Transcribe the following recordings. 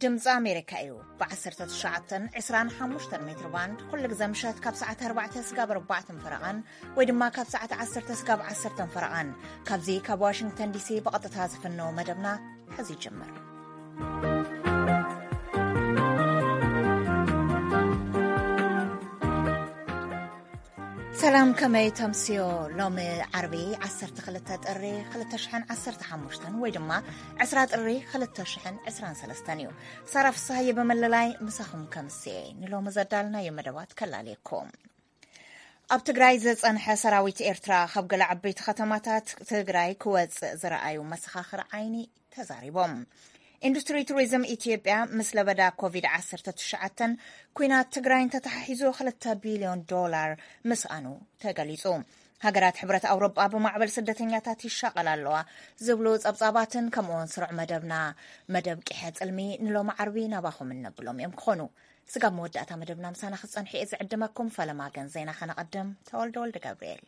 ድምፂ ኣሜሪካ እዩ። ብ19፣ 25 ሜትር ባንድ ኩሉ ግዜ ምሸት ካብ ሰዓት ኣርባዕተ ስጋብ ኣርባዕተን ፈረቓን ወይ ድማ ካብ ሰዓት ዓሰርተ ስጋብ ዓሰርተን ፈረቓን ካብዚ ካብ ዋሽንግተን ዲሲ ብቐጥታ ዝፍነው መደብና ሕዚ ይጅምር። ሰላም፣ ከመይ ተምስዮ? ሎሚ ዓርቢ ዓሰርተ ክልተ ጥሪ ክልተ ሽሕን ዓሰርተ ሓሙሽተን ወይ ድማ ዕስራ ጥሪ ክልተ ሽሕን ዕስራን ሰለስተን እዩ። ሳራ ፍስሃየ ብምልላይ ምሳኹም ከምስየ ንሎሚ ዘዳልናዮ መደባት ከላልየኩም። ኣብ ትግራይ ዝጸንሐ ሰራዊት ኤርትራ ካብ ገለ ዓበይቲ ከተማታት ትግራይ ክወጽእ ዝረኣዩ መሰኻኽር ዓይኒ ተዛሪቦም። ኢንዱስትሪ ቱሪዝም ኢትዮጵያ ምስ ለበዳ ኮቪድ ዓሰርተ ትሽዓተ ኩናት ትግራይን ተተሓሒዙ ክልተ ቢልዮን ዶላር ምስኣኑ ተገሊጹ። ሃገራት ሕብረት ኣውሮጳ ብማዕበል ስደተኛታት ይሻቐላ ኣለዋ ዝብሉ ጸብጻባትን ከምኡውን ስሩዕ መደብና መደብ ቂሐ ጽልሚ ንሎሚ ዓርቢ ናባኹም እነብሎም እዮም ክኾኑ። ስጋብ መወዳእታ መደብና ምሳና ክትጸንሑ እየ ዝዕድመኩም። ፈለማ ግን ዜና ከነቐድም። ተወልደ ወልደ ገብርኤል።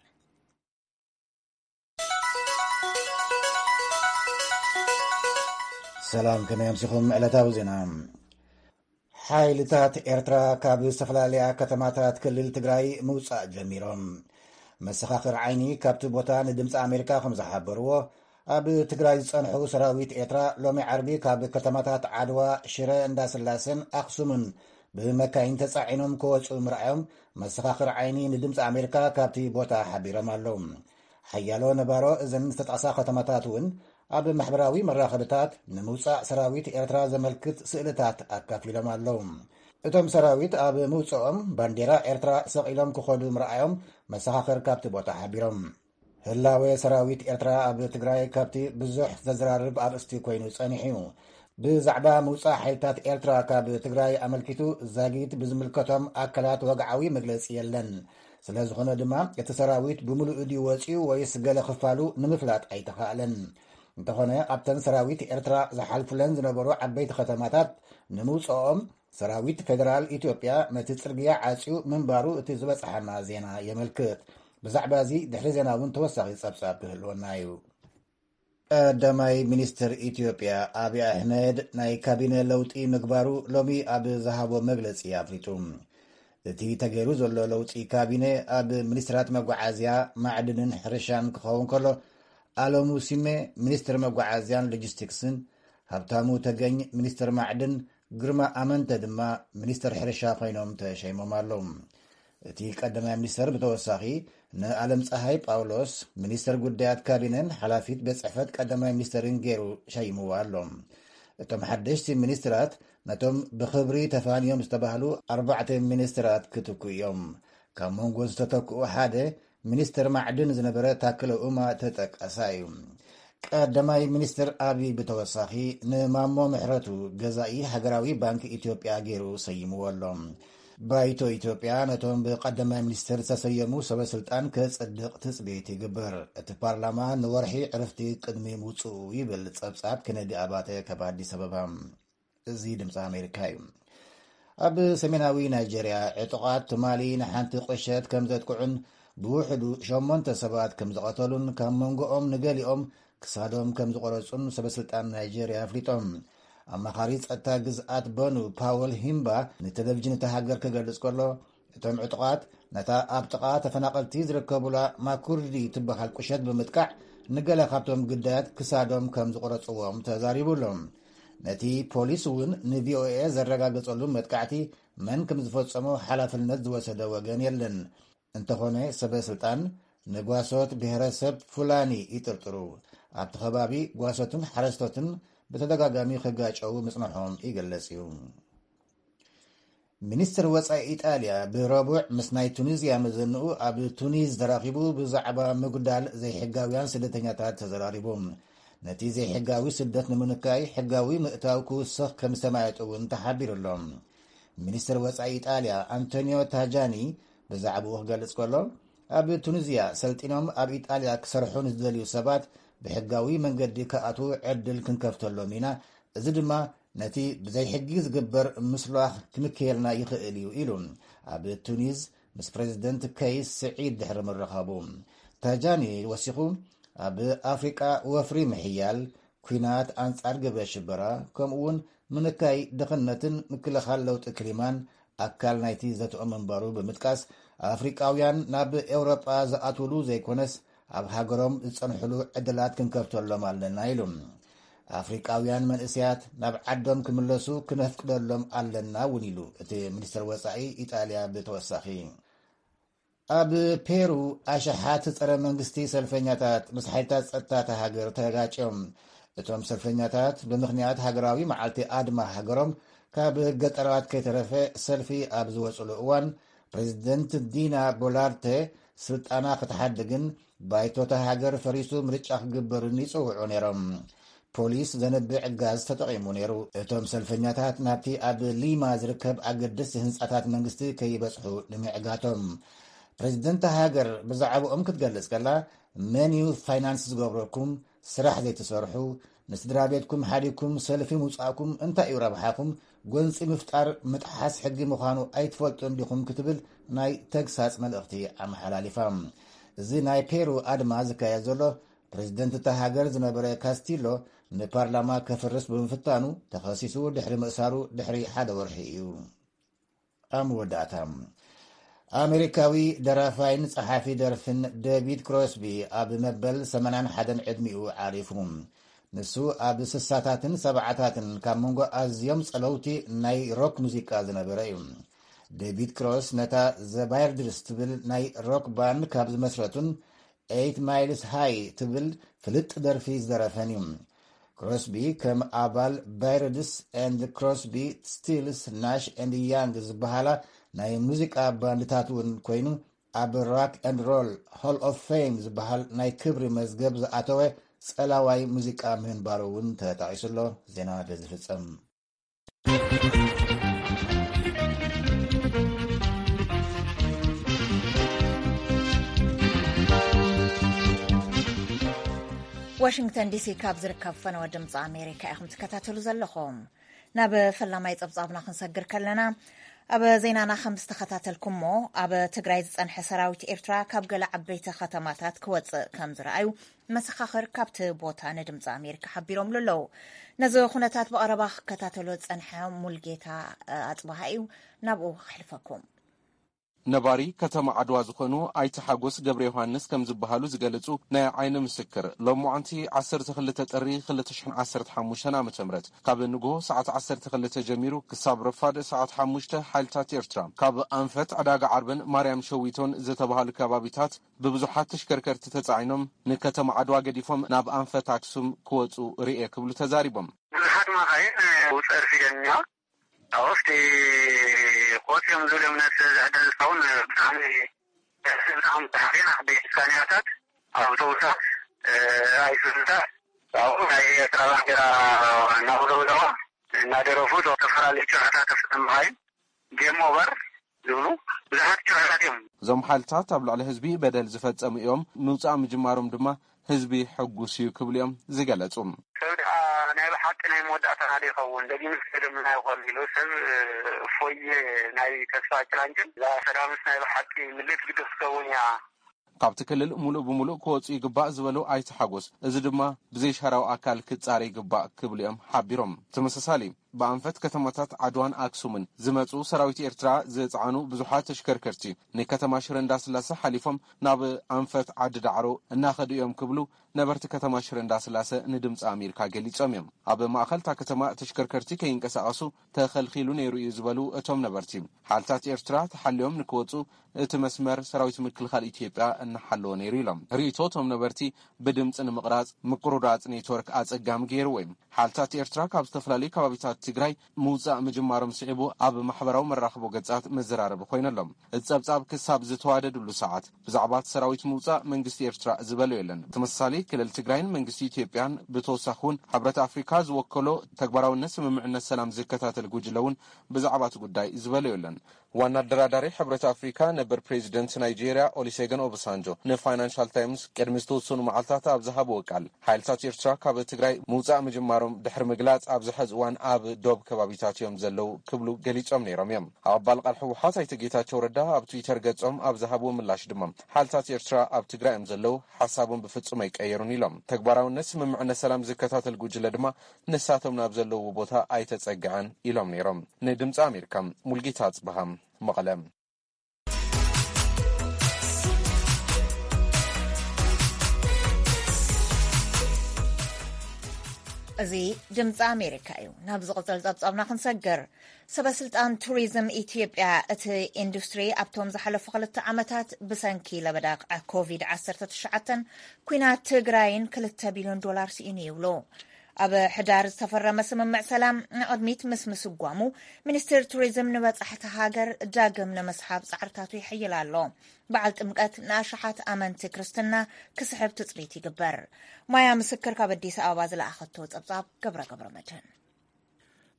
ሰላም፣ ከመይ ኣምሲኹም? ዕለታዊ ዜና። ሓይልታት ኤርትራ ካብ ዝተፈላለያ ከተማታት ክልል ትግራይ ምውጻእ ጀሚሮም። መሰኻኽር ዓይኒ ካብቲ ቦታ ንድምፂ ኣሜሪካ ከም ዝሓበርዎ፣ ኣብ ትግራይ ዝጸንሑ ሰራዊት ኤርትራ ሎሚ ዓርቢ ካብ ከተማታት ዓድዋ፣ ሽረ እንዳስላሰን ኣኽሱምን ብመካይን ተጻዒኖም ክወጹ ምርኣዮም መሰኻኽር ዓይኒ ንድምፂ ኣሜሪካ ካብቲ ቦታ ሓቢሮም ኣለዉ። ሓያሎ ነባሮ እዘን ዝተጠቕሳ ከተማታት እውን ኣብ ማሕበራዊ መራኸብታት ንምውጻእ ሰራዊት ኤርትራ ዘመልክት ስእልታት ኣካፊሎም ኣለዉ። እቶም ሰራዊት ኣብ ምውጽኦም ባንዴራ ኤርትራ ሰቒሎም ክኸዱ ምርኣዮም መሰኻኽር ካብቲ ቦታ ሓቢሮም። ህላወ ሰራዊት ኤርትራ ኣብ ትግራይ ካብቲ ብዙሕ ዘዘራርብ ኣርእስቲ ኮይኑ ጸኒሑ እዩ። ብዛዕባ ምውጻእ ሓይልታት ኤርትራ ካብ ትግራይ ኣመልኪቱ ዛጊት ብዝምልከቶም ኣካላት ወግዓዊ መግለጺ የለን። ስለ ዝኾነ ድማ እቲ ሰራዊት ብምሉኡ ድዩ ወጺኡ ወይስ ገለ ክፋሉ ንምፍላጥ ኣይተኻእለን። እንተኾነ ኣብተን ሰራዊት ኤርትራ ዝሓልፉለን ዝነበሩ ዓበይቲ ከተማታት ንምውጽኦም ሰራዊት ፌደራል ኢትዮጵያ ነቲ ጽርግያ ዓጽዩ ምንባሩ እቲ ዝበጽሓና ዜና የመልክት። ብዛዕባ እዚ ድሕሪ ዜና እውን ተወሳኺ ጸብጻብ ክህልወና እዩ። ቀዳማይ ሚኒስትር ኢትዮጵያ ኣብይ ኣሕመድ ናይ ካቢነ ለውጢ ምግባሩ ሎሚ ኣብ ዝሃቦ መግለጺ ኣፍሊጡ። እቲ ተገይሩ ዘሎ ለውጢ ካቢነ ኣብ ሚኒስትራት መጓዓዝያ፣ ማዕድንን ሕርሻን ክኸውን ከሎ፣ ኣለሙ ሲሜ ሚኒስትር መጓዓዝያን ሎጂስቲክስን፣ ሃብታሙ ተገኝ ሚኒስትር ማዕድን፣ ግርማ ኣመንተ ድማ ሚኒስትር ሕርሻ ኮይኖም ተሸይሞም ኣለዉ። እቲ ቀዳማይ ሚኒስትር ብተወሳኺ ንኣለም ፀሃይ ጳውሎስ ሚኒስትር ጉዳያት ካቢነን ሓላፊት ቤት ጽሕፈት ቀዳማይ ሚኒስትርን ገይሩ ሸይምዎ ኣሎ። እቶም ሓደሽቲ ሚኒስትራት ነቶም ብኽብሪ ተፋንዮም ዝተባህሉ ኣርባዕተ ሚኒስትራት ክትኩ እዮም። ካብ መንጎ ዝተተክኡ ሓደ ሚኒስትር ማዕድን ዝነበረ ታክለ ኡማ ተጠቃሳይ እዩ። ቀዳማይ ሚኒስትር ኣብይ ብተወሳኺ ንማሞ ምሕረቱ ገዛኢ ሃገራዊ ባንክ ኢትዮጵያ ገይሩ ሰይምዎ ኣሎ። ባይቶ ኢትዮጵያ ነቶም ብቀዳማይ ሚኒስትር ዝተሰየሙ ሰበ ስልጣን ከጽድቕ ትጽቢት ይግበር። እቲ ፓርላማ ንወርሒ ዕረፍቲ ቅድሚ ምውጽኡ ይብል ጸብጻብ ኬነዲ ኣባተ ካብ ኣዲስ ኣበባ። እዚ ድምፂ ኣሜሪካ እዩ። ኣብ ሰሜናዊ ናይጀርያ ዕጡቓት ትማሊ ንሓንቲ ቁሸት ከም ዘጥቅዑን ብውሕዱ ሸሞንተ ሰባት ከም ዝቐተሉን ካብ መንጎኦም ንገሊኦም ክሳዶም ከም ዝቆረጹን ሰበስልጣን ናይጀርያ ኣፍሊጦም። ኣማኻሪ ጸጥታ ግዝኣት በኑ ፓወል ሂምባ ንቴሌቪዥን እታ ሃገር ክገልጽ ከሎ፣ እቶም ዕጡቓት ነታ ኣብ ጥቓ ተፈናቐልቲ ዝርከቡላ ማኩርዲ ትበሃል ቁሸት ብምጥቃዕ ንገለ ካብቶም ግዳያት ክሳዶም ከም ዝቆረጽዎም ተዛሪቡ ኣሎ። ነቲ ፖሊስ እውን ንቪኦኤ ዘረጋገጸሉ መጥቃዕቲ መን ከም ዝፈጸሞ ሓላፍነት ዝወሰደ ወገን የለን። እንተኾነ ሰበ ስልጣን ንጓሶት ብሄረሰብ ፉላኒ ይጥርጥሩ። ኣብቲ ከባቢ ጓሶትን ሓረስቶትን ብተደጋጋሚ ክጋጨዉ ምጽንሖም ይገልጽ እዩ። ሚኒስትር ወጻኢ ኢጣልያ ብረቡዕ ምስ ናይ ቱኒዝያ መዘንኡ ኣብ ቱኒዝ ተራኺቡ ብዛዕባ ምጉዳል ዘይሕጋውያን ስደተኛታት ተዘራሪቡ። ነቲ ዘይሕጋዊ ስደት ንምንካይ ሕጋዊ ምእታው ክውስኽ ከም ዝተማየጠ እውን ተሓቢሩ ኣሎ። ሚኒስትር ወጻኢ ኢጣልያ ኣንቶኒዮ ታጃኒ ብዛዕባኡ ክገልጽ ከሎ፣ ኣብ ቱኒዝያ ሰልጢኖም ኣብ ኢጣልያ ክሰርሑ ንዝደልዩ ሰባት ብሕጋዊ መንገዲ ክኣትዉ ዕድል ክንከፍተሎም ኢና፣ እዚ ድማ ነቲ ብዘይ ሕጊ ዝግበር ምስሏኽ ክምክየልና ይኽእል እዩ ኢሉ ኣብ ቱኒዝ ምስ ፕሬዚደንት ከይስ ስዒድ ድሕሪ ምርኻቡ። ታጃኒ ወሲኹ፣ ኣብ ኣፍሪቃ ወፍሪ ምሕያል፣ ኲናት ኣንጻር ግብረ ሽበራ፣ ከምኡ እውን ምንካይ ድኽነትን ምክልኻል ለውጢ ክሊማን ኣካል ናይቲ ዘተኦም ምንባሩ ብምጥቃስ፣ ኣፍሪቃውያን ናብ ኤውሮጳ ዝኣትውሉ ዘይኮነስ፣ ኣብ ሃገሮም ዝጸንሕሉ ዕድላት ክንከፍተሎም ኣለና ኢሉ። ኣፍሪቃውያን መንእሰያት ናብ ዓዶም ክምለሱ ክነፍቅደሎም ኣለና እውን ኢሉ እቲ ሚኒስትር ወጻኢ ኢጣልያ ብተወሳኺ። ኣብ ፔሩ ኣሽሓት ጸረ መንግስቲ ሰልፈኛታት ምስ ሓይልታት ጸጥታ እታ ሃገር ተጋጭዮም። እቶም ሰልፈኛታት ብምኽንያት ሃገራዊ መዓልቲ ኣድማ ሃገሮም ካብ ገጠራት ከይተረፈ ሰልፊ ኣብ ዝወጽሉ እዋን፣ ፕሬዚደንት ዲና ቦላርተ ስልጣና ክትሓድግን ባይቶ እታ ሃገር ፈሪሱ ምርጫ ክግበርን ይጽውዑ ነይሮም። ፖሊስ ዘንብዕ ጋዝ ተጠቒሙ ነይሩ። እቶም ሰልፈኛታት ናብቲ ኣብ ሊማ ዝርከብ ኣገደስቲ ህንጻታት መንግስቲ ከይበጽሑ ንምዕጋቶም። ፕሬዚደንት ሃገር ብዛዕባኦም ክትገልጽ ከላ፣ መን እዩ ፋይናንስ ዝገብረኩም? ስራሕ ዘይትሰርሑ፣ ንስድራ ቤትኩም ሓዲግኩም ሰልፊ ምውጻእኩም እንታይ እዩ ረብሓኹም? ጎንጺ ምፍጣር ምጥሓስ ሕጊ ምዃኑ ኣይትፈልጡን ዲኹም? ክትብል ናይ ተግሳጽ መልእኽቲ ኣመሓላሊፋ። እዚ ናይ ፔሩ ኣድማ ዝካየድ ዘሎ፣ ፕሬዚደንት እታ ሃገር ዝነበረ ካስቲሎ ንፓርላማ ከፍርስ ብምፍታኑ ተኸሲሱ ድሕሪ ምእሳሩ ድሕሪ ሓደ ወርሒ እዩ። ኣብ መወዳእታ፣ ኣሜሪካዊ ደራፋይን ጸሓፊ ደርፍን ዴቪድ ክሮስቢ ኣብ መበል ሰማንያን ሓደን ዕድሚኡ ዓሪፉ። ንሱ ኣብ ስሳታትን ሰብዓታትን ካብ መንጎ ኣዝዮም ጸለውቲ ናይ ሮክ ሙዚቃ ዝነበረ እዩ። ዴቪድ ክሮስ ነታ ዘ ባይርድስ ትብል ናይ ሮክ ባንድ ካብ ዝመስረቱን ኤይት ማይልስ ሃይ ትብል ፍልጥ ደርፊ ዝደረፈን እዩ። ክሮስቢ ከም ኣባል ባይርድስ ኤንድ ክሮስቢ፣ ስቲልስ፣ ናሽ ኤንድ ያንግ ዝበሃላ ናይ ሙዚቃ ባንድታት እውን ኮይኑ፣ ኣብ ራክ ኤንድ ሮል ሆል ኦፍ ፌም ዝበሃል ናይ ክብሪ መዝገብ ዝኣተወ ጸላዋይ ሙዚቃ ምህንባሩ እውን ተጠቒሱ ኣሎ። ዜና በዚ ፍጸም። ዋሽንግተን ዲሲ ካብ ዝርከብ ፈነወ ድምፂ ኣሜሪካ ኢኹም ትከታተሉ ዘለኹም። ናብ ፈላማይ ጸብጻብና ክንሰግር ከለና፣ ኣብ ዜናና ከም ዝተኸታተልኩሞ፣ ኣብ ትግራይ ዝጸንሐ ሰራዊት ኤርትራ ካብ ገለ ዓበይቲ ከተማታት ክወጽእ ከም ዝረኣዩ መሰኻኽር ካብቲ ቦታ ንድምፂ ኣሜሪካ ሓቢሮምሉ ኣለዉ። ነዚ ኩነታት ብቐረባ ክከታተሎ ዝጸንሐ ሙልጌታ ኣጽብሃ እዩ። ናብኡ ከሕልፈኩም። ነባሪ ከተማ ዓድዋ ዝኾኑ ኣይተ ሓጎስ ገብረ ዮሃንስ ከም ዝበሃሉ ዝገለጹ ናይ ዓይኒ ምስክር፣ ሎማዓንቲ ዓሰርተ ክልተ ጥሪ ክልተ ሽሕን ዓሰርተ ሓሙሽተን ዓመተ ምህረት ካብ ንግሆ ሰዓት ዓሰርተ ክልተ ጀሚሩ ክሳብ ረፋድ ሰዓት ሓሙሽተ ሓይልታት ኤርትራ ካብ ኣንፈት ዕዳጋ ዓርብን ማርያም ሸዊቶን ዝተባሃሉ ከባቢታት ብብዙሓት ተሽከርከርቲ ተጻዒኖም ንከተማ ዓድዋ ገዲፎም ናብ ኣንፈት ኣክሱም ክወጹ ርእየ ክብሉ ተዛሪቦም። ብዙሓት መኻይን ውፅእ ኣርፊደን እኒዋ። ኣብቲ ቆፅዮም ዝብል እምነት ዘዕደል ዝኸውን ብጣዕሚ ብጣዕሚ ብዙሓት ዓበይቲ ስካንያታት፣ ኣውቶቡሳት፣ ኣይሱዙታት ኣብኡ ናይ ኤርትራ ባንዴራ እናውለብለዋ እናደረፉ ዝተፈላለዩ ጭርሕታት ተፈፀሙ መኻይን ጌም ኦቨር ዝብሉ ብዙሓት ጭርሕታት እዮም። እዞም ሓይልታት ኣብ ልዕሊ ህዝቢ በደል ዝፈጸሙ እዮም፣ ምውጻእ ምጅማሮም ድማ ህዝቢ ሕጉስ እዩ ክብሉ እዮም ዝገለጹ። ሰብ ደኣ ናይ ብሓቂ ናይ መወዳእታና ዶ ይኸውን? ደጊምስ ገደምና ይኾን ኢሉ ሰብ እፎየ ናይ ተስፋ ጭላንጭል። እዛ ሰላምስ ናይ ብሓቂ ምልእቲ ግድር ክትከውን እያ። ካብቲ ክልል ሙሉእ ብሙሉእ ክወጹ ይግባእ ዝበሉ ኣይተ ሓጎስ፣ እዚ ድማ ብዘይሻራዊ ኣካል ክጻረ ይግባእ ክብሉ እዮም ሓቢሮም። ተመሳሳሊ ብኣንፈት ከተማታት ዓድዋን ኣክሱምን ዝመጹ ሰራዊት ኤርትራ ዝጸዓኑ ብዙሓት ተሽከርከርቲ ንከተማ ሽረ እንዳስላሰ ሓሊፎም ናብ ኣንፈት ዓዲ ዳዕሮ እናኸዱ እዮም ክብሉ ነበርቲ ከተማ ሽረ እንዳስላሰ ንድምፂ ኣሜሪካ ገሊጾም እዮም። ኣብ ማእኸል እታ ከተማ ተሽከርከርቲ ከይንቀሳቐሱ ተኸልኺሉ ነይሩ እዩ ዝበሉ እቶም ነበርቲ፣ ሓይልታት ኤርትራ ተሓልዮም ንክወፁ እቲ መስመር ሰራዊት ምክልኻል ኢትዮጵያ እናሓለወ ነይሩ ኢሎም። ርእይቶ እቶም ነበርቲ ብድምፂ ንምቕራፅ ምቁርራፅ ኔትወርክ ኣፀጋሚ ገይርዎ እዩ። ሓይልታት ኤርትራ ካብ ዝተፈላለዩ ከባቢታት ትግራይ ምውፃእ ምጅማሮም ስዒቡ ኣብ ማሕበራዊ መራኽቦ ገፃት መዘራረቢ ኮይነሎም። እቲ ጸብጻብ ክሳብ ዝተዋደድሉ ሰዓት ብዛዕባ እቲ ሰራዊት ምውጻእ መንግስቲ ኤርትራ ዝበሎ የለን። ተመሳሳሊ ክልል ትግራይን መንግስቲ ኢትዮጵያን ብተወሳኺ እውን ሕብረት ኣፍሪካ ዝወከሎ ተግባራውነት ስምምዕነት ሰላም ዝከታተል ጉጅለ እውን ብዛዕባ እቲ ጉዳይ ዝበሎ የለን። ዋና ኣደራዳሪ ሕብረት ኣፍሪካ፣ ነበር ፕሬዚደንት ናይጄርያ ኦሊሴገን ኦባሳንጆ ንፋይናንሻል ታይምስ ቅድሚ ዝተወሰኑ መዓልታት ኣብ ዝሃብዎ ቃል፣ ሓይልታት ኤርትራ ካብ ትግራይ ምውፃእ ምጅማሮም ድሕሪ ምግላፅ፣ ኣብዚ ሕዚ እዋን ኣብ ዶብ ከባቢታት እዮም ዘለዉ ክብሉ ገሊጾም ነይሮም እዮም። ኣባል ቃል ህወሓት ኣይተ ጌታቸው ረዳ ኣብ ትዊተር ገጾም ኣብ ዝሃብዎ ምላሽ ድማ፣ ሓይልታት ኤርትራ ኣብ ትግራይ እዮም ዘለዉ፣ ሓሳቦም ብፍጹም ኣይቀየሩን ኢሎም። ተግባራውነት ስምምዕነት ሰላም ዝከታተል ጉጅለ ድማ ንሳቶም ናብ ዘለውዎ ቦታ ኣይተጸግዐን ኢሎም ነይሮም። ንድምፂ ኣሜሪካ፣ ሙልጌታ ኣጽብሃ፣ መቐለ። እዚ ድምፂ ኣሜሪካ እዩ። ናብ ዝቕፅል ፀብፃብና ክንሰግር፣ ሰበ ስልጣን ቱሪዝም ኢትዮጵያ፣ እቲ ኢንዱስትሪ ኣብቶም ዝሓለፉ ክልተ ዓመታት ብሰንኪ ለበዳ ኮቪድ ዓሰርተ ትሽዓተን ኲናት ትግራይን ክልተ ቢልዮን ዶላር ስኢኑ ይብሉ። ኣብ ሕዳር ዝተፈረመ ስምምዕ ሰላም ንቕድሚት ምስ ምስጓሙ፣ ሚኒስትር ቱሪዝም ንበጻሕቲ ሃገር ዳግም ንምስሓብ ጻዕርታቱ ይሕይል ኣሎ። በዓል ጥምቀት ንኣሽሓት ኣመንቲ ክርስትና ክስሕብ ትጽቢት ይግበር። ማያ ምስክር ካብ ኣዲስ ኣበባ ዝለኣኸቶ ጸብጻብ ገብረ ገብረ መድህን።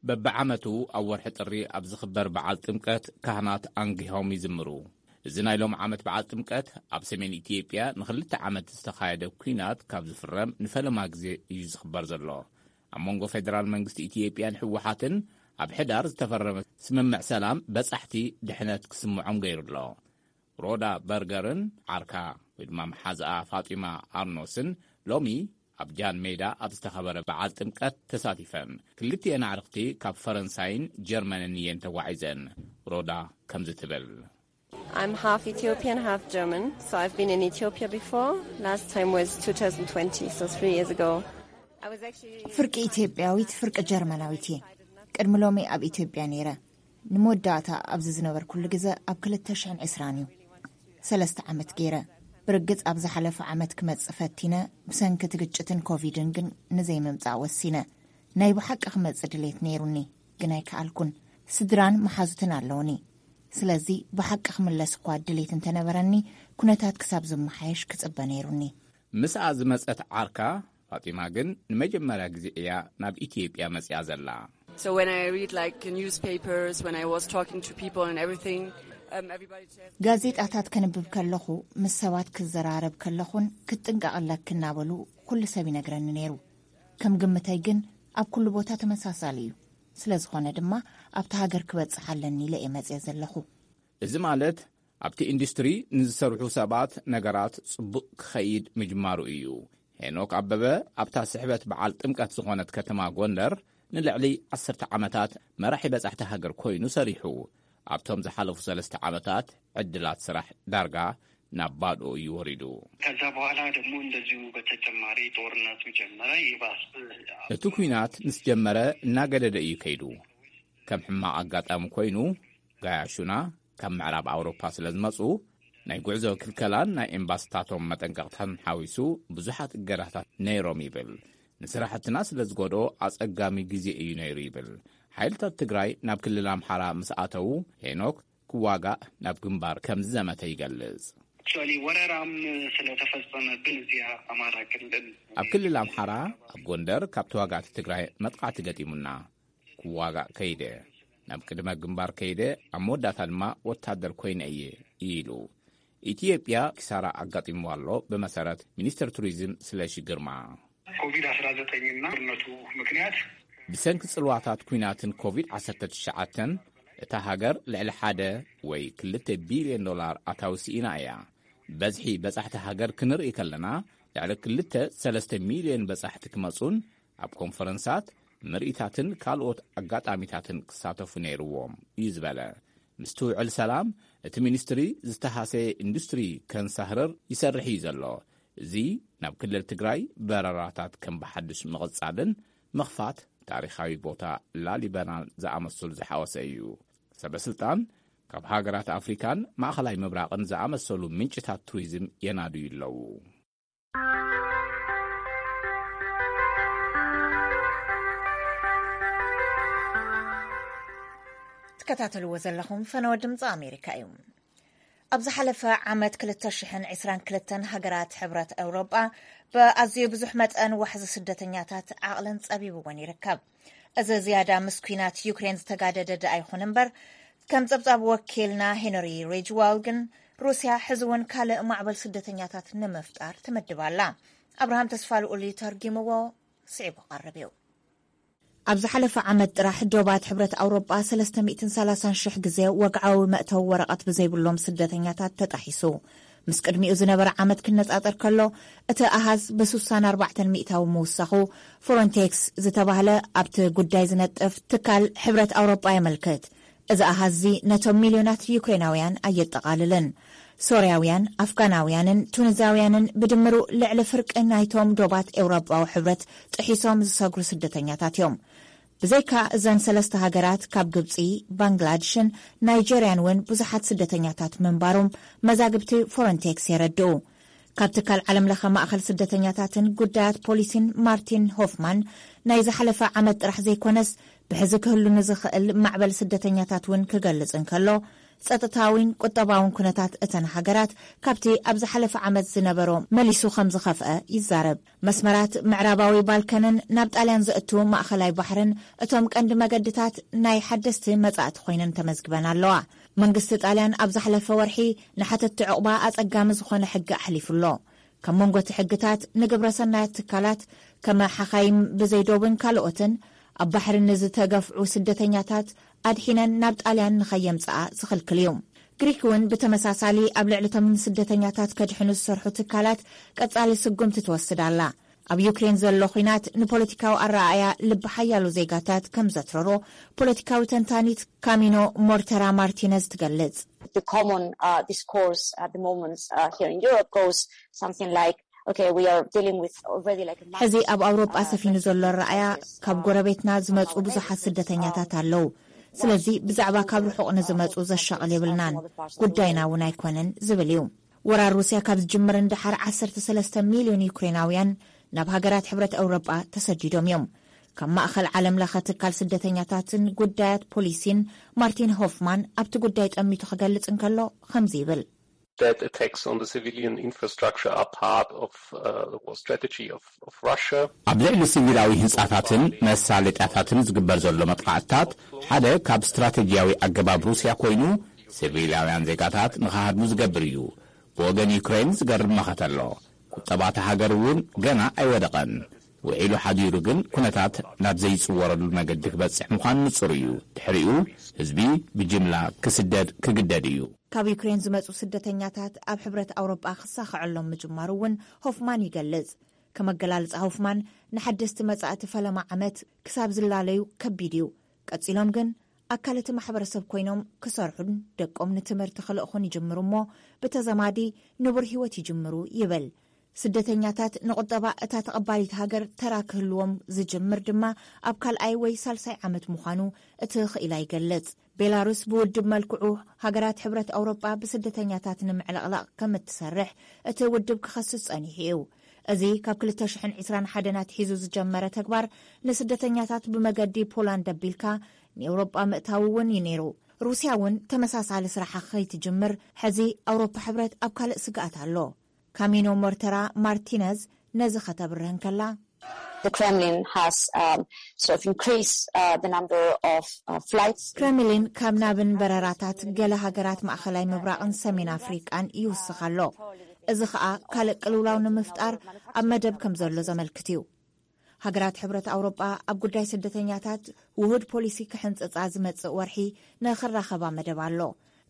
በብዓመቱ ኣብ ወርሒ ጥሪ ኣብ ዝኽበር በዓል ጥምቀት ካህናት ኣንጊሆም ይዝምሩ። እዚ ናይ ሎም ዓመት በዓል ጥምቀት ኣብ ሰሜን ኢትዮጵያ ንኽልተ ዓመት ዝተኻየደ ኲናት ካብ ዝፍረም ንፈለማ ግዜ እዩ ዝኽበር ዘሎ። ኣብ መንጎ ፌደራል መንግስቲ ኢትዮጵያን ህወሓትን ኣብ ሕዳር ዝተፈረመ ስምምዕ ሰላም በጻሕቲ ድሕነት ክስምዖም ገይሩ ኣሎ። ሮዳ በርገርን ዓርካ ወይ ድማ መሓዝኣ ፋጢማ ኣርኖስን ሎሚ ኣብ ጃን ሜዳ ኣብ ዝተኸበረ በዓል ጥምቀት ተሳቲፈን። ክልቲኤን ኣዕርኽቲ ካብ ፈረንሳይን ጀርመንን እየን ተጓዒዘን። ሮዳ ከምዚ ትብል። I'm half Ethiopian, half German, so I've been in Ethiopia before. Last time was two thousand twenty, so three years ago. I was actually ፍርቂ ኢትዮጵያዊት፣ ፍርቂ ጀርመናዊት እየ። ቅድሚ ሎሚ ኣብ ኢትዮጵያ ነይረ። ንመወዳእታ ኣብዚ ዝነበርኩሉ ግዘ ኣብ ክልተ ሽሕን ዕስራን እዩ። ሰለስተ ዓመት ገይረ። ብርግጽ ኣብ ዝሓለፈ ዓመት ክመጽእ ፈቲነ፣ ብሰንኪ እቲ ግጭትን ኮቪድን ግን ንዘይምምጻእ ወሲነ። ናይ ብሓቂ ክመጽእ ድሌት ነይሩኒ፣ ግን ኣይከኣልኩን። ስድራን መሓዙትን ኣለውኒ። ስለዚ ብሓቂ ክምለስ እኳ ድሌት እንተነበረኒ፣ ኩነታት ክሳብ ዝመሓየሽ ክጽበ ነይሩኒ። ምስኣ ዝመጸት ዓርካ ፋጢማ ግን ንመጀመርያ ግዜ እያ ናብ ኢትዮጵያ መጺኣ ዘላ። So when I read, like, newspapers, when I was talking to people and everything, um, everybody said ጋዜጣታት ከንብብ ከለኹ፣ ምስ ሰባት ክዘራረብ ከለኹን ክትጥንቀቕ ኣለኪ እናበሉ ኩሉ ሰብ ይነግረኒ ነይሩ። ከም ግምተይ ግን ኣብ ኩሉ ቦታ ተመሳሳሊ እዩ። ስለ ዝኾነ ድማ ኣብቲ ሃገር ክበጽሕ ኣለኒ ኢለ እየ መጽየ ዘለኹ። እዚ ማለት ኣብቲ ኢንዱስትሪ ንዝሰርሑ ሰባት ነገራት ጽቡቕ ክኸይድ ምጅማሩ እዩ። ሄኖክ ኣበበ ኣብታ ስሕበት በዓል ጥምቀት ዝኾነት ከተማ ጎንደር ንልዕሊ ዓሰርተ ዓመታት መራሒ በጻሕቲ ሃገር ኮይኑ ሰሪሑ። ኣብቶም ዝሓለፉ ሰለስተ ዓመታት ዕድላት ስራሕ ዳርጋ ናብ ባዶ እዩ ወሪዱ። ከዛ በኋላ ደግሞ እንደዚሁ በተጨማሪ ጦርነቱ ጀመረ። ይባስ እቲ ኲናት ምስ ጀመረ እናገደደ እዩ ከይዱ። ከም ሕማቕ ኣጋጣሚ ኮይኑ፣ ጋያሹና ካብ ምዕራብ ኣውሮፓ ስለ ዝመጹ፣ ናይ ጉዕዞ ክልከላን ናይ ኤምባስታቶም መጠንቀቕታን ሓዊሱ ብዙሓት እገዳታት ነይሮም ይብል። ንስራሕትና ስለ ዝጎድኦ ኣጸጋሚ ግዜ እዩ ነይሩ ይብል። ሓይልታት ትግራይ ናብ ክልል ኣምሓራ ምስ ኣተዉ፣ ሄኖክ ክዋጋእ ናብ ግንባር ከም ዝዘመተ ይገልጽ። Actually ወረራም ስለተፈጸመብን እዚኣ ኣማራ ክልል ኣብ ክልል ኣምሓራ ኣብ ጎንደር ካብ ተዋጋእቲ ትግራይ መጥቃዕቲ ገጢሙና። ክዋጋእ ከይደ፣ ናብ ቅድመ ግንባር ከይደ፣ ኣብ መወዳእታ ድማ ወታደር ኮይነ እየ ኢሉ። ኢትዮጵያ ኪሳራ ኣጋጢምዋ ኣሎ፣ ብመሰረት ሚኒስትር ቱሪዝም ስለሺ ግርማ። ኮቪድ ኣስራ ዘጠኝ እና ጦርነቱ ምክንያት ብሰንኪ ጽልዋታት ኲናትን ኮቪድ ዓሰርተ ትሽዓተን እታ ሃገር ልዕሊ ሓደ ወይ ክልተ ቢልዮን ዶላር ኣታዊ ስኢና እያ። በዝሒ በጻሕቲ ሃገር ክንርኢ ከለና፣ ልዕሊ ክልተ ሰለስተ ሚልዮን በጻሕቲ ክመጹን ኣብ ኮንፈረንሳት፣ ምርኢታትን ካልኦት ኣጋጣሚታትን ክሳተፉ ነይርዎም እዩ ዝበለ። ምስትውዕል ሰላም፣ እቲ ሚኒስትሪ ዝተሃሰየ ኢንዱስትሪ ከንሳህርር ይሰርሕ እዩ ዘሎ። እዚ ናብ ክልል ትግራይ በረራታት ከም ብሓድሽ ምቕጻልን ምኽፋት ታሪኻዊ ቦታ ላሊበላን ዝኣመሰሉ ዝሓወሰ እዩ። ሰበ ስልጣን ካብ ሃገራት ኣፍሪካን ማእኸላይ ምብራቕን ዝኣመሰሉ ምንጭታት ቱሪዝም የናድዩ ኣለዉ። ትከታተልዎ ዘለኹም ፈነወ ድምፂ ኣሜሪካ እዩ። ኣብ ዝሓለፈ ዓመት ክልተ ሽሕን ዕስራን ክልተን ሃገራት ሕብረት ኤውሮጳ ብኣዝዩ ብዙሕ መጠን ዋሕዚ ስደተኛታት ዓቕለን ጸቢብወን ይርከብ። እዚ ዝያዳ ምስ ኲናት ዩክሬን ዝተጋደደ ደኣ ይኹን እምበር፣ ከም ጸብጻብ ወኪልና ሄንሪ ሬጅዋል ግን፣ ሩስያ ሕዚ እውን ካልእ ማዕበል ስደተኛታት ንምፍጣር ትምድብ ኣላ። ኣብርሃም ተስፋልኡሊ ተርጊምዎ፣ ስዒቡ ቀርብ እዩ። ኣብ ዝሓለፈ ዓመት ጥራሕ ዶባት ሕብረት ኣውሮጳ ሰለስተ ሚእትን ሰላሳን ሽሕ ግዜ ወግዓዊ መእተዊ ወረቐት ብዘይብሎም ስደተኛታት ተጣሒሱ። ምስ ቅድሚኡ ዝነበረ ዓመት ክነጻጸር ከሎ፣ እቲ ኣሃዝ ብ64 ሚእታዊ ምውሳኹ፣ ፍሮንቴክስ ዝተባህለ ኣብቲ ጉዳይ ዝነጥፍ ትካል ሕብረት ኣውሮጳ የመልክት። እዚ ኣሃዚ ነቶም ሚልዮናት ዩክሬናውያን ኣየጠቓልልን። ሶርያውያን፣ ኣፍጋናውያንን ቱኒዛውያንን ብድምሩ ልዕሊ ፍርቂ ናይቶም ዶባት ኤውሮጳዊ ሕብረት ጥሒሶም ዝሰግሩ ስደተኛታት እዮም። ብዘይካ እዘን ሰለስተ ሃገራት፣ ካብ ግብጺ፣ ባንግላድሽን ናይጀርያን እውን ብዙሓት ስደተኛታት ምንባሮም መዛግብቲ ፍሮንቴክስ የረድኡ። ካብ ትካል ዓለም ለኸ ማእኸል ስደተኛታትን ጉዳያት ፖሊሲን ማርቲን ሆፍማን፣ ናይ ዝሓለፈ ዓመት ጥራሕ ዘይኮነስ፣ ብሕዚ ክህሉ ንዝኽእል ማዕበል ስደተኛታት እውን ክገልጽ እንከሎ፣ ጸጥታዊን ቁጠባውን ኩነታት እተን ሃገራት ካብቲ ኣብ ዝሓለፈ ዓመት ዝነበሮ መሊሱ ከም ዝኸፍአ ይዛረብ። መስመራት ምዕራባዊ ባልካንን ናብ ጣልያን ዘእቱ ማእኸላይ ባሕርን እቶም ቀንዲ መገድታት ናይ ሓደስቲ መጻእቲ ኮይነን ተመዝግበን ኣለዋ። መንግስቲ ጣልያን ኣብ ዝሓለፈ ወርሒ ንሓተትቲ ዕቑባ ኣጸጋሚ ዝኾነ ሕጊ ኣሕሊፉ ኣሎ። ካብ መንጎ እቲ ሕግታት፣ ንግብረ ሰናያት ትካላት፣ ከመ ሓኻይም ብዘይዶብን ካልኦትን፣ ኣብ ባሕሪ ንዝተገፍዑ ስደተኛታት ኣድሒነን ናብ ጣልያን ንኸየምጽኣ ዝኽልክል እዩ። ግሪክ እውን ብተመሳሳሊ ኣብ ልዕሊ እቶም ንስደተኛታት ከድሕኑ ዝሰርሑ ትካላት ቀጻሊ ስጉምቲ ትወስድ ኣላ። ኣብ ዩክሬን ዘሎ ኲናት ንፖለቲካዊ ኣረኣእያ ልቢ ሓያሎ ዜጋታት ከም ዘትረሮ ፖለቲካዊ ተንታኒት ካሚኖ ሞርተራ ማርቲነዝ ትገልጽ። The common uh, discourse at the moment uh, here in Europe goes something like, okay, we are dealing with already like a mass ሕዚ ኣብ ኣውሮጳ uh, ሰፊኑ ዘሎ refugee ኣረኣእያ፣ crisis, ካብ uh, ጎረቤትና ዝመጹ ብዙሓት ስደተኛታት ኣለዉ። ስለዚ ብዛዕባ ካብ ርሑቕ ንዝመጹ ዘሻቕል የብልናን፣ ጉዳይና እውን ኣይኮነን ዝብል እዩ። ወራር ሩስያ ካብ ዝጅምር ንደሓር ዓሰርተ ሰለስተ ሚልዮን ዩክሬናውያን ናብ ሃገራት ሕብረት ኣውሮጳ ተሰዲዶም እዮም። ካብ ማእኸል ዓለም ለኸ ትካል ስደተኛታትን ጉዳያት ፖሊሲን ማርቲን ሆፍማን ኣብቲ ጉዳይ ጠሚቱ ክገልጽ እንከሎ ከምዚ ይብል። That attacks on the civilian infrastructure are part of uh, the war strategy of, of Russia. ኣብ ልዕሊ ሲቪላዊ ህንጻታትን መሳለጥያታትን ዝግበር ዘሎ መጥቃዕትታት ሓደ ካብ ስትራቴጂያዊ ኣገባብ ሩስያ ኮይኑ፣ ሲቪላውያን ዜጋታት ንኽሃድሙ ዝገብር እዩ። ብወገን ዩክሬን ዝገርም መኸተ ኣሎ። ቁጠባ እታ ሃገር እውን ገና ኣይወደቐን። ውዒሉ ሓዲሩ ግን ኩነታት ናብ ዘይጽወረሉ መገዲ ክበጽሕ ምዃኑ ንጹር እዩ። ድሕሪኡ ህዝቢ ብጅምላ ክስደድ ክግደድ እዩ። ካብ ዩክሬን ዝመጹ ስደተኛታት ኣብ ሕብረት ኣውሮጳ ክሳኸዐሎም ምጅማሩ እውን ሆፍማን ይገልጽ። ከም ኣገላልጻ ሆፍማን፣ ንሓደስቲ መጻእቲ ፈለማ ዓመት ክሳብ ዝላለዩ ከቢድ እዩ። ቀጺሎም ግን ኣካል እቲ ማሕበረሰብ ኮይኖም ክሰርሑን ደቆም ንትምህርቲ ክልእኹን ይጅምሩ እሞ፣ ብተዘማዲ ንቡር ህይወት ይጅምሩ ይብል። ስደተኛታት ንቁጠባ እታ ተቐባሊት ሃገር ተራ ክህልዎም ዝጅምር ድማ ኣብ ካልኣይ ወይ ሳልሳይ ዓመት ምዃኑ እቲ ክኢላ ይገልጽ። ቤላሩስ ብውድብ መልክዑ ሃገራት ሕብረት ኣውሮጳ ብስደተኛታት ንምዕልቕላቕ ከም እትሰርሕ እቲ ውድብ ክኸስስ ጸኒሑ እዩ። እዚ ካብ ክልተ ሽሕን ዕስራን ሓደን ኣትሒዙ ዝጀመረ ተግባር ንስደተኛታት ብመገዲ ፖላንድ ኣቢልካ ንኤውሮጳ ምእታው እውን እዩ ነይሩ። ሩስያ እውን ተመሳሳሊ ስራሓ ከይትጅምር ሕዚ ኣውሮፓ ሕብረት ኣብ ካልእ ስግኣት ኣሎ። ካሚኖ ሞርተራ ማርቲነዝ ነዚ ከተብርህ እንከላ፣ The Kremlin has um, sort of increased uh, the number of uh, flights. ክረምሊን ካብ ናብን በረራታት ገለ ሃገራት ማእኸላይ ምብራቕን ሰሜን ኣፍሪቃን ይውስኽ ኣሎ። እዚ ኸኣ ካልእ ቅልውላው ንምፍጣር ኣብ መደብ ከም ዘሎ ዘመልክት እዩ። ሃገራት ሕብረት ኣውሮጳ ኣብ ጉዳይ ስደተኛታት ውሁድ ፖሊሲ ክሕንጽጻ ዝመጽእ ወርሒ ንኽራኸባ መደብ ኣሎ።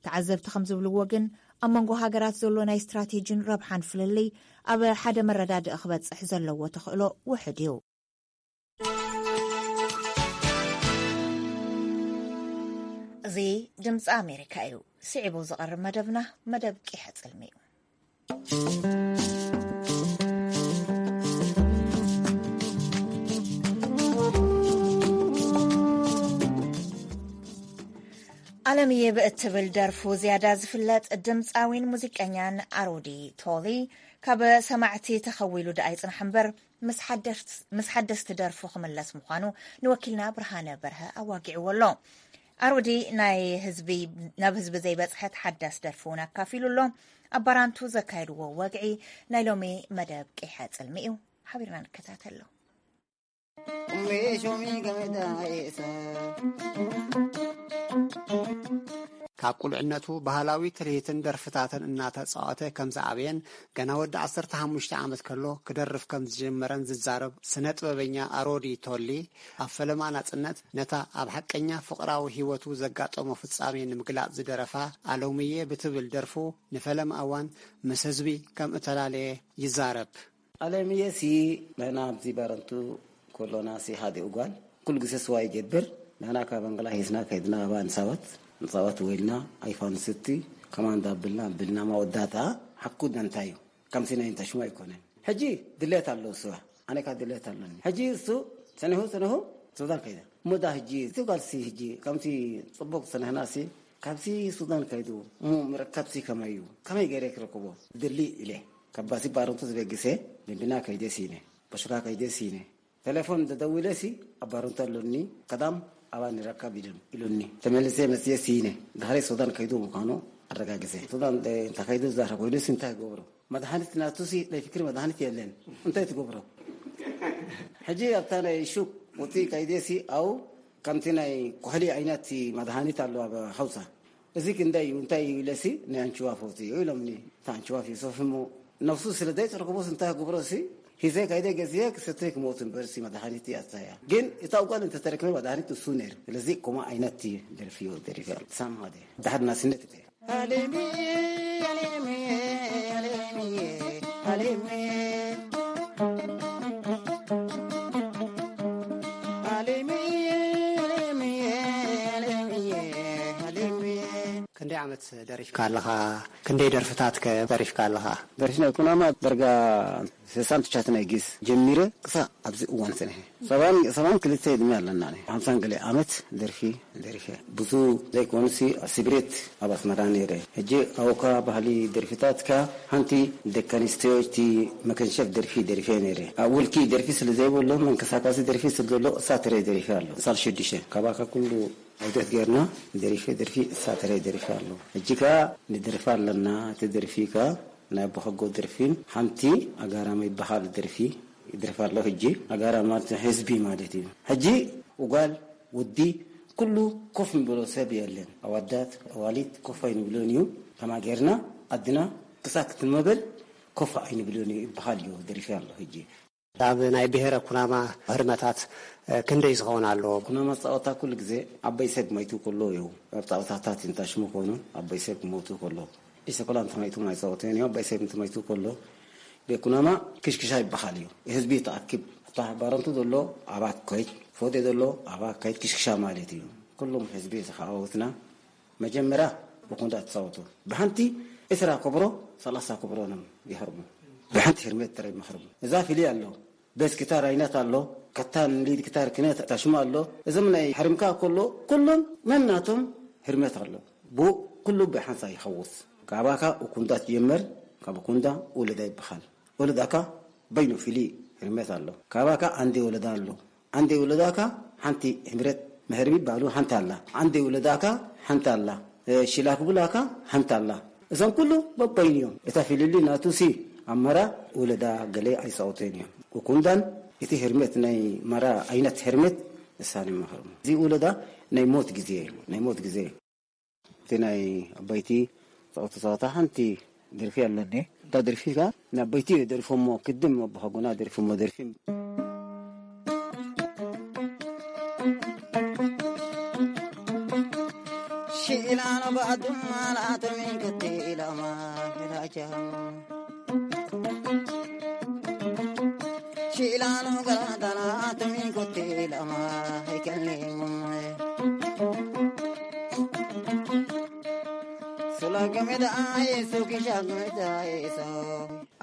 ተዓዘብቲ ከም ዝብልዎ ግን፣ ኣብ መንጎ ሃገራት ዘሎ ናይ ስትራቴጂን ረብሓን ፍልልይ ኣብ ሓደ መረዳድኢ ክበጽሕ ዘለዎ ተኽእሎ ውሑድ እዩ። እዚ ድምፂ ኣሜሪካ እዩ። ስዒቡ ዝቐርብ መደብና መደብ ቂሐ ጽልሚ እዩ። ኣለምየ ብእትብል ደርፉ ዝያዳ ዝፍለጥ ድምፃዊን ሙዚቀኛን ኣሮዲ ቶሊ፣ ካብ ሰማዕቲ ተኸዊሉ ደኣ ይጽናሕ እምበር፣ ምስ ሓደስ-፣ ምስ ሓደስቲ ደርፉ ክምለስ ምዃኑ ንወኪልና ብርሃነ በርሀ ኣዋጊዕዎ ኣሎ። ኣሮዲ ናይ ህዝቢ፣ ናብ ህዝቢ ዘይበጽሐት ሓዳስ ደርፊ እውን ኣካፊሉ ኣሎ። ኣብ ባራንቱ ዘካየድዎ ወግዒ ናይ ሎሚ መደብ ቂሐ ጽልሚ እዩ። ሓቢርና ንከታተሎ። ቁምቤ ሾሚ ገመዳ ኤሳ። ኣብ ቁልዕነቱ ባህላዊ ትልሂትን ደርፍታትን እናተጻወተ ከም ዝዓበየን ገና ወዲ ዓሰርተ ሓሙሽተ ዓመት ከሎ ክደርፍ ከም ዝጀመረን ዝዛረብ ስነ ጥበበኛ ኣሮዲ ቶሊ፣ ኣብ ፈለማ ናጽነት ነታ ኣብ ሓቀኛ ፍቕራዊ ህይወቱ ዘጋጠሞ ፍጻሜ ንምግላጽ ዝደረፋ ኣሎምየ ብትብል ደርፉ ንፈለማ እዋን ምስ ህዝቢ ከም እተላለየ ይዛረብ። ኣለምየሲ ንሕና ኣብዚ ባረንቱ ኮሎናሲ ሓደ እጓል ኩሉ ግዜ ስዋ ይገብር። ንሕና ካብ ኣንገላ ሂዝና ከይድና ኣባ ንሳወት ንጻወት ወይልና ኣይፋንስቲ ከማንዳ ብልና ብልና መወዳእታ ሓኩ ደንታዩ ከምሲ ናይ እንታ ሽሙ ኣይኮነን። ሕጂ ድሌት ኣለዎ ስዋ፣ ኣነ ካብ ድሌት ኣለኒ። ሕጂ እሱ ጸኒሑ ጸኒሑ ሱዳን ከይደ። እሞ ዳ ሕጂ እቲ ጓልሲ ሕጂ ከምቲ ጽቡቕ ጸንሕናሲ ካብዚ ሱዳን ከይዱ እሞ ምርካብሲ ከመይ እዩ? ከመይ ገይረ ክረክቦ? ድሊ ኢለ ካብ ባሲ ባረንቱ ዝበግሰ ብብና ከይደ ሲነ፣ በሽካ ከይደ ሲነ። ቴሌፎን ተደዊለሲ ኣብ ባረንቱ ኣሎኒ፣ ቀዳም ኣባ ንረካብ ኢሉን- ኢሉኒ። ተመልሰ መጽየ ሲነ። ድሕሪ ሱዳን ከይዱ ምዃኑ ኣረጋግጸ። ሱዳን እንታይ ከይዱ ዛረብ ኮይኑሲ እንታይ ይገብሮ? መድሃኒት ናቱሲ ናይ ፍክሪ መድሃኒት የለን። እንታይ ትገብሮ? ሕጂ ኣብታ ናይ ሹቅ ውፅኢ ከይደሲ ኣው ከምቲ ናይ ኩሕሊ ዓይነት መድሃኒት ኣሎ ኣብ ሓውሳ። እዚ ክንደይ እዩ? እንታይ እዩ ኢለሲ ናይ ኣንችዋ ፈውቲ እዩ ኢሎምኒ። እታ ኣንችዋ ፊሶፍ እሞ ነፍሱ ስለ ዘይተረክቦስ እንታይ ክገብሮ ሲ ሂዘ ከይደ ገዝየ ክሰተ ክሞት እምበር ሲ መድሃኒት እያ እታ እያ። ግን እታ ጓል እንተተረክበ መድሃኒት እሱ ነይሩ። ስለዚ ኮማ ዓይነት ደርፊ እዩ ደሪፈ። ሳም ሃደ። ድሓር ናስነት እተ። Alimi, alimi, alimi, alimi. Alimi, alimi, alimi, alimi. ክንደይ ዓመት ደሪፍካ ኣለኻ? ክንደይ ደርፍታት ከ ደሪፍካ ኣለኻ? ደርፊ ናይ ኩናማ ደርጋ ስሳን ትቻትን ናይ ጊስ ጀሚረ ክሳዕ ኣብዚ እዋን ጽንሐ። ሰባን ሰባን ክልተ ዕድመ ኣለና። ሓምሳን ገለ ዓመት ደርፊ ደሪፈ። ብዙ ዘይኮኑሲ ስብሬት ኣብ ኣስመራ ነይረ። ሕጂ ኣውካ ባህሊ ደርፊታትካ ሓንቲ ደቂ ኣንስትዮ እቲ መከንሸፍ ደርፊ ደሪፈ ነይረ። ኣብ ውልቂ ደርፊ ስለ ዘይብሉ መንቀሳቀሲ ደርፊ ስለ ዘሎ እሳ ትረ ደሪፈ ኣሎ። ሳል ሽዱሽተ ካባካ ኩሉ ዑደት ጌርና ደሪፈ ደርፊ እሳ ትረ ደሪፈ ኣሎ። ሕጂ ከኣ ንደርፊ ኣለና። እቲ ደርፊ ከኣ ናይ ኣቦኸጎ ደርፊን ሓንቲ ኣጋራመ ይበሃል ደርፊ ይደርፍ ኣሎ። ሕጂ ኣጋራም ማለት ህዝቢ ማለት እዩ። ሕጂ ጓል ወዲ ኩሉ ኮፍ ንብሎ ሰብ የለን። ኣዋዳት ኣዋሊት ኮፍ ኣይንብሎን እዩ። ከማ ጌርና ኣድና ክሳብ ክትመበል ኮፍ ኣይንብሎን እዩ ይበሃል እዩ ደሪፊ ኣሎ። ሕጂ ኣብ ናይ ብሔረ ኩናማ ህርመታት ክንደይ ዝኸውን ኣለዎ? ኩናማ ጻወታ ኩሉ ግዜ ዓባይ ሰብ ማይቱ ከሎ እዩ። ኣብ ጻወታታት እንታሽሙ ኮይኑ ዓባይ ሰብ ክሞቱ ከሎ ኢሰኮላ እንተማይቱ ማይጻወቱ እዮም። ዓባይ ሰብ እንተማይቱ ከሎ ቤት ኩናማ ክሽክሻ ይበሃል እዩ። ህዝቢ ተኣክብ እታ ባረንቱ ዘሎ ኣባት ከይድ ፎቴ ዘሎ ኣባ ከይድ ክሽክሻ ማለት እዩ። ኩሎም ህዝቢ ዝሓወትና መጀመርያ ብኩንዳ ትጻወቱ። ብሓንቲ ዕስራ ኮብሮ ሰላሳ ኮብሮ ንም ይህርሙ። ብሓንቲ ህርመት ጥራይ ይመኽርሙ። እዛ ፍልይ ኣሎ። ቤስ ጊታር ዓይነት ኣሎ። ከታን ሊድ ጊታር ክነት ታሽማ ኣሎ። እዞም ናይ ሕርምካ ከሎ ኩሎም ነናቶም ህርመት ኣሎ። ብኡ ኩሉ ብሓንሳ ይኸውስ። ካባካ እኩንዳ ትጀምር፣ ካብ እኩንዳ ወለዳ ይበሃል። ወለዳካ በይኑ ፍልይ ህርመት ኣሎ። ካባካ ኣንዴ ወለዳ ኣሎ። ኣንዴ ወለዳካ ሓንቲ ህምረት መህርቢ ባሉ ሓንቲ ኣላ። ኣንዴ ወለዳካ ሓንቲ ኣላ። እ፣ ሽላክ ብላካ ሓንቲ ኣላ። እዞም ኩሉ በበይኑ እዮም። እታ ፍልልይ ናቱ ሲ ኣብ መራ ወለዳ ገለ ኣይጻወቱን እዮም። እኩንዳን እቲ ህርመት ናይ መራ ዓይነት ህርመት እሳን ይመኽርሙ። እዚ ወለዳ ናይ ሞት ግዜ እዩ። ናይ ሞት ግዜ እዩ። እቲ ናይ ኣባይቲ ጸወታ ጸወታ ሓንቲ ደርፊ ኣለኒ። እታ ደርፊ ከኣ ንኣባይቲ ደርፎሞ፣ ክድም ኣቦሓጎና ደርፎሞ ደርፊ። ሽኢላኖ ባዱማ ላቶሚን ከቲላማ ላጃ። ሽኢላኖ ገላዳና ቶሚን ከቲላማ ኣይከሌሙም። ሱላገሜዳ ኣይሱ ኪሻገሜዳ ኣይሶ።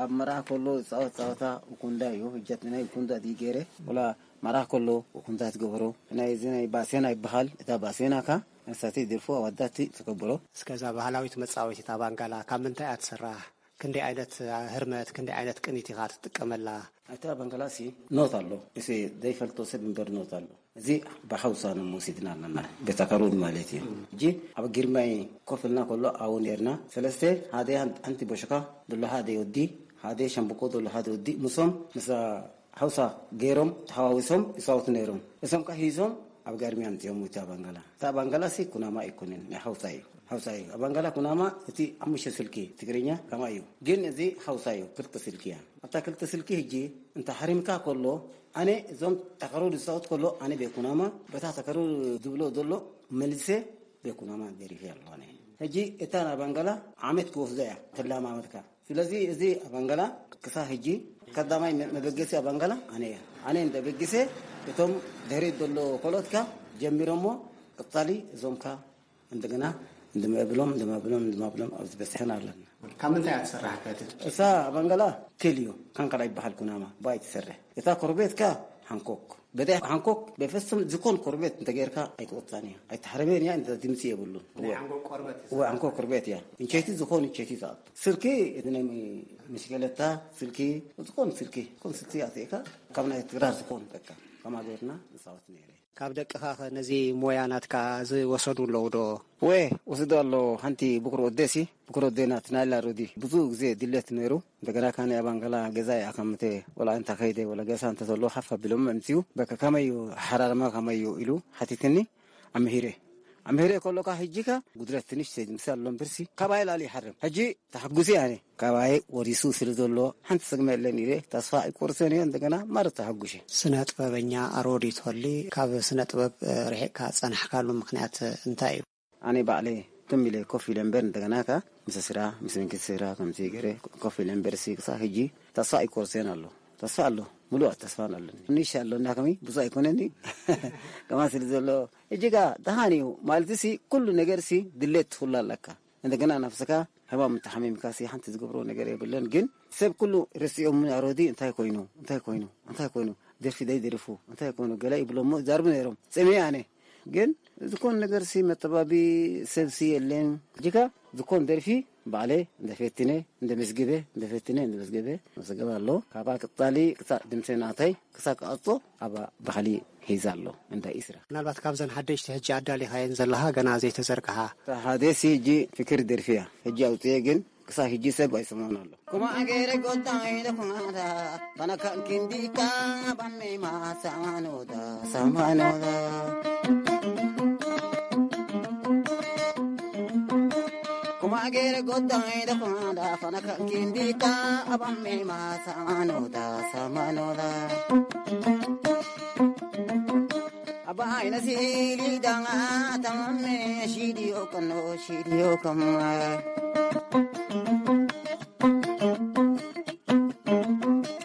ኣብ መርዓ ከሎ ዝጻወት ጸወታ እኩንዳ እዩ። ህጀት ናይ እኩንዳ ድዩ ገይረ? ወላ መርዓ ከሎ እኩንዳ ትገብሮ። ናይ እዚ ናይ ባሴና ይበሃል። እታ ባሴና ከ መሳተይ ደርፎ ኣዋዳት ትገብሮ። እስከ እዛ ባህላዊት መጻወቲት ኣባንጋላ ካብ ምንታይ እያ ትስራሕ? ክንደይ ዓይነት ህርመት፣ ክንደይ ዓይነት ቅኒት ኢኻ ትጥቀመላ? እታ ኣባንጋላሲ ኖት ኣሎ። እሴ ዘይፈልጦ ሰብ እምበር ኖት ኣሎ። እዚ ብሓውሳ ነው መውሲድና ኣለና። ቤት ኣካሉን ማለት እዩ። ሕጂ ኣብ ግርማይ ኮፍ ኢልና ከሎ ኣብኡ ነርና። ሰለስተ፣ ሓደ ኣንቲ ቦሽካ፣ ድሎ ሓደ ወዲ፣ ሓደ ሸምብቆ፣ ድሎ ሓደ ወዲ፣ ምሶም፣ ምስ ሓውሳ ገይሮም፣ ተሓዋዊሶም ይጻወቱ ነይሮም። እሶም ከ ሂዞም ኣብ ጋርሚያ ኣምጺኦም እቲ ኣባንጋላ። እቲ ኣባንጋላሲ ኩናማ ኣይኮነን፣ ናይ ሓውሳ እዩ። ሓውሳ እዩ። ኣባንጋላ ኩናማ እቲ ሓሙሽተ ስልኪ ትግርኛ ከማ እዩ። ግን እዚ ሓውሳ እዩ፣ ክልተ ስልኪ እያ። ኣብታ ክልተ ስልኪ ሕጂ እንተ ሓሪምካ ከሎ፣ ኣነ እዞም ተኸሩ ዝፃወት ከሎ፣ ኣነ ቤኩናማ በታ ተኸሩ ዝብሎ ዘሎ መልሰ ቤኩናማ ደሪፈ ኣሎ። ኣነ ሕጂ እታ ኣባንጋላ ዓመት ክወስዶ እያ ተላማመድካ። ስለዚ እዚ ኣባንጋላ ክሳ ሕጂ ቀዳማይ መ-፣ መበገሲ ኣባንጋላ ኣነ እያ። ኣነ እንደ በግሰ እቶም ድሕሪት ዘሎ ኮሎትካ ጀሚሮሞ ቀጻሊ እዞምካ እንደገና እንደመብሎም፣ እንደመብሎም፣ እንደመብሎም ኣብዚ በጽሕና ኣለና። ካብ ምንታይ እያ ትስራሕ ከ እቲ? እሳ ኣባንጋላ ቴልዮ ካንካላ ይበሃል ኩናማ ባይ ትሰርሕ። እታ ኮርቤትካ ሓንኮክ። በታ ሓንኮክ በፍጹም ዝኾን ኮርቤት እንተጌርካ ኣይትወጣን እያ። ኣይትሓረበን እያ፣ እንተ ድምጺ የብሉን። ናይ ሓንኮክ ቆርበት እዩ። እወ፣ ሓንኮክ ኮርቤት እያ። እንቸይቲ ዝኾን እንቸይቲ ትኣቱ። ስልኪ እቲ ናይ ምሽከለታ ስልኪ፣ ዝኾን ስልኪ፣ ዝኾን ስልኪ ኣትእካ ካብ ናይ ትግራር ዝኾን በቃ ከማ ጌርና ንጻወት ነይረ። ካብ ደቅኻ ኸ ነዚ ሞያ ናትካ ዝወሰዱ ኣለዉ ዶ? ወ-፣ ወስዶ ኣሎ። ሓንቲ ብኩር ወደሲ፣ ብኩር ወደና ትናላ ሮዲ ብዙ ግዜ ድሌት ነይሩ። እንደገና ካነ ኣባንጋላ ገዛ ይኣኸምተ ወላ እንተ ኸይደ ወላ ገሳ እንተ ዘሎ ሓፍ ኣቢሎም ምምፅኡ። በቃ ከመይ እዩ ሓራርማ ከመይ እዩ ኢሉ ሓቲትኒ። ኣምሂረ፣ ኣምሂረ ከሎካ ሕጂካ ጉድለት ትንሽ ምሳል ኣሎ እምበርሲ ካባይ ላሊ ይሓርም። ሕጂ ተሓጉሲ ኣነ ካባይ ወሪሱ ስለ ዘሎ ሓንቲ ሰግመ የለን ኢለ ተስፋ ኣይቆርሰን እየ። እንደገና ማረት ተሓጉሸ። ስነ ጥበበኛ ኣሮዲት ሆሊ፣ ካብ ስነ ጥበብ፣ እ፣ ርሒቕካ ጸናሕካሉ ምኽንያት እንታይ እዩ? ኣነ ባዕለ ትም ኢለ ኮፍ ኢለ እምበር እንደገና ከ ምስ ስራ ምስ መንግስቲ ስራ ከምዚ ገይረ ኮፍ ኢለ እምበር ሲ ክሳብ ሕጂ ተስፋ ኣይቆርሰን ኣሎ። ተስፋ ኣሎ፣ ሙሉእ ተስፋ ኣለኒ። ንሽ ኣሎ እና ከመይ ብዙ ኣይኮነኒ ከማ ስለ ዘሎ ሕጂ ጋ ደሃን እዩ ማለት ሲ ኩሉ ነገር ሲ ድሌት ትኹሉ ኣለካ። እንደገና ነፍስካ ሕማም እንተሓሚምካ ሲ ሓንቲ ዝገብሮ ነገር የብለን። ግን ሰብ ኩሉ ርስኦም ኣሮዲ እንታይ ኮይኑ እንታይ ኮይኑ እንታይ ኮይኑ ደርፊ ደይ ደርፉ እንታይ ኮይኑ ገለ ይብሎ እሞ ይዛርቡ ነይሮም። ጽሜ ኣነ ግን ዝኾን ነገር ሲ መተባቢ ሰብ ሲ የለን። ሕጂ ጋ ዝኾን ደርፊ ባዕለ እንደ ፈትነ እንደ መስግበ እንደ ፈትነ እንደ መስግበ መስገበ ኣሎ። ካባ ቅጻሊ ክሳ ድምሰ ናታይ ክሳ ክኣጾ ኣብ ባህሊ ሒዛ ኣሎ። እንዳ ኢስራ ምናልባት ካብዘን ሓደሽቲ ሕጂ ኣዳሊኻየን ዘለኻ ገና ዘይተዘርግሓ? እታ ሓደሲ ሕጂ ፍክር ደርፊ እያ። ሕጂ ኣውጽኤ ግን ክሳብ ሕጂ ሰብ ኣይሰማን ኣሎ። ኩማ ገይረ ጎዳይ ደኹናዳ፣ ባናካ ክንዲካ ባሜማ ሳማኖዳ፣ ሳማኖዳ። ኩማ ገይረ ጎዳይ ደኹናዳ፣ ባናካ ክንዲካ ባሜማ ሳማኖዳ፣ ሳማኖዳ። ኣባይ ነሲሊ ዳማ ተማሜ፣ ሺዲዮ ከኖ፣ ሺዲዮ ከማ።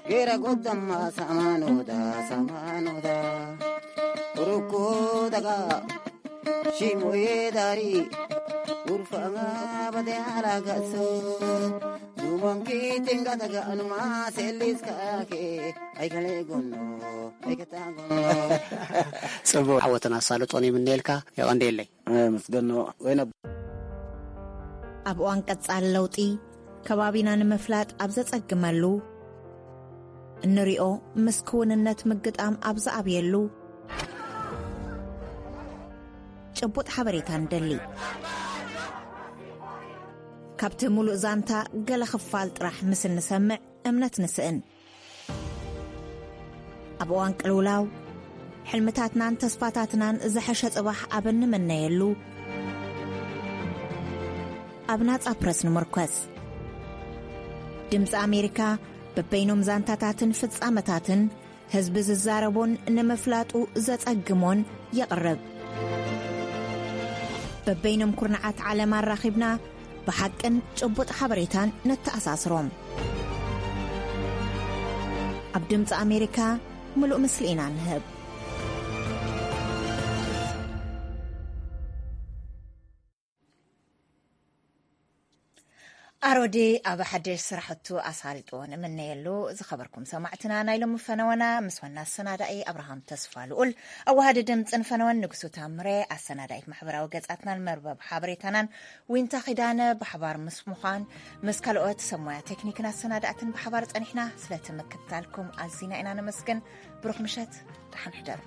ጌራ ጎዳማ ሳማኖዳ፣ ሳማኖዳ። ሩኮ ደጋ፣ ሺሞዬ ዳሪ፣ ኡርፋ በደ ኣላጋሶ። ዙሞንኪ ቲንጋ ደጋ፣ ኑማ ሴሊስ ካኬ፣ ኣይከሌ ጎኖ፣ ኣይከታ ጎኖ። ጽቡቕ። ዓወትን ኣሳልጦን ይምነየልካ። የቐንደየለይ። ኣመስገኖ ወይነ። ኣብ እዋን ቀጻሊ ለውጢ፣ ከባቢና ንምፍላጥ ኣብ ዘጸግመሉ፣ እንሪኦ ምስ ክውንነት ምግጣም ኣብ ዝኣብየሉ፣ ጭቡጥ ሓበሬታ ንደሊ። ካብቲ ሙሉእ ዛንታ ገለ ክፋል ጥራሕ ምስ እንሰምዕ እምነት ንስእን። ኣብ እዋን ቅልውላው፣ ሕልምታትናን ተስፋታትናን ዝሐሸ ጽባሕ ኣብ እንምነየሉ፣ ኣብ ናጻ ፕረስ ንምርኮስ። ድምጺ ኣሜሪካ በበይኖም ዛንታታትን ፍጻመታትን ህዝቢ ዝዛረቦን ንምፍላጡ ዘጸግሞን የቕርብ። በበይኖም ኩርናዓት ዓለም ኣራኺብና ብሓቅን ጭቡጥ ሓበሬታን ነተኣሳስሮም። ኣብ ድምጺ ኣሜሪካ ምሉእ ምስሊ ኢና ንህብ። ኣሮዴ ኣብ ሓድሽ ስራሕቱ ኣሳልጦ ንምነየሉ። ዝኸበርኩም ሰማዕትና፣ ናይ ሎሚ ፈነወና ምስ ዋና ኣሰናዳኢ ኣብርሃም ተስፋ ልኡል፣ ኣዋሃዲ ድምፅን ፈነወን ንጉሱ ታምሬ፣ ኣሰናዳኢት ማሕበራዊ ገጻትናን መርበብ ሓበሬታናን ዊንታ ኺዳነ ብሓባር ምስ ምዃን ምስ ካልኦት ሰብ ሞያ ቴክኒክን ኣሰናዳእትን ብሓባር ጸኒሕና። ስለቲ ምክትታልኩም ኣዚና ኢና ነመስግን። ብሩኽ ምሸት፣ ደሓን ሕደሩ።